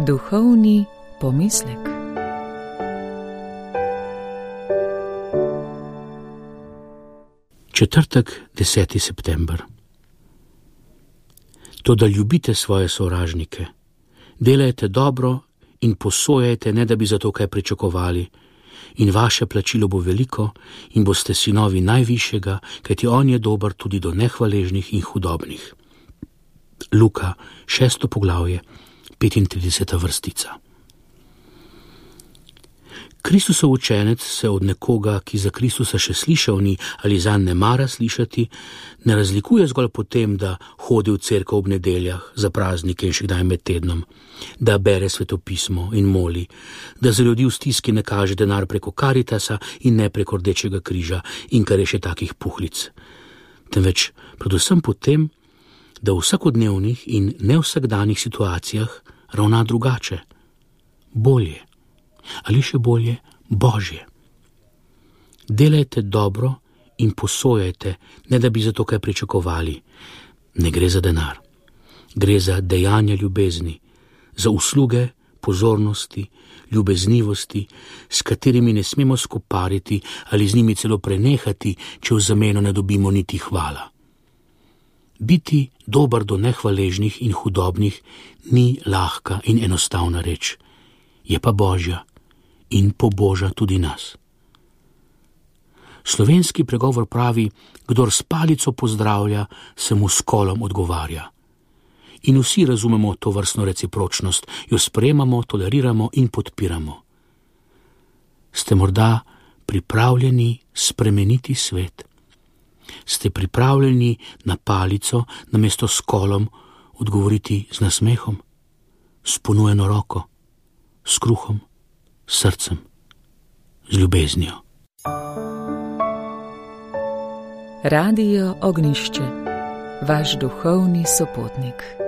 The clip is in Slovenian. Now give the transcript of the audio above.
Duhovni pomislek. Četrtek, 10. september. Toda ljubite svoje sovražnike, delajte dobro in posojajte, ne da bi za to kaj pričakovali, in vaše plačilo bo veliko in boste sinovi najvišjega, kajti on je dober tudi do nehvaležnih in hudobnih. Luka, 6. poglavje, 35. vrstica. Kristusov učenec se od nekoga, ki za Kristusa še slišal ni ali zanj ne mara slišati, ne razlikuje zgolj po tem, da hodi v cerkev ob nedeljah, za praznike in še kdaj med tednom, da bere svetopismo in moli, da za ljudi v stiski ne kaže denar preko Karitasa in ne preko Rdečega križa in kar je še takih puhlic. Temveč predvsem po tem, da v vsakodnevnih in nevsakdanjih situacijah ravna drugače, bolje. Ali še bolje, Božje. Delajte dobro in posojajte, ne da bi za to kaj pričakovali. Ne gre za denar. Gre za dejanja ljubezni, za usluge, pozornosti, ljubeznivosti, s katerimi ne smemo skopariti ali z njimi celo prenehati, če v zameno ne dobimo niti hvala. Biti dober do nehvaležnih in hudobnih ni lahka in enostavna reč, je pa Božja in poboža tudi nas. Slovenski pregovor pravi, kdor s palico pozdravlja, se mu s kolom odgovarja. In vsi razumemo to vrstno recipročnost, jo sprejemamo, toleriramo in podpiramo. Ste morda pripravljeni spremeniti svet? Ste pripravljeni na palico namesto s kolom odgovoriti z nasmehom, s ponujeno roko, s kruhom, s srcem, z ljubeznijo? Radio Ognjišče, vaš duhovni sopotnik.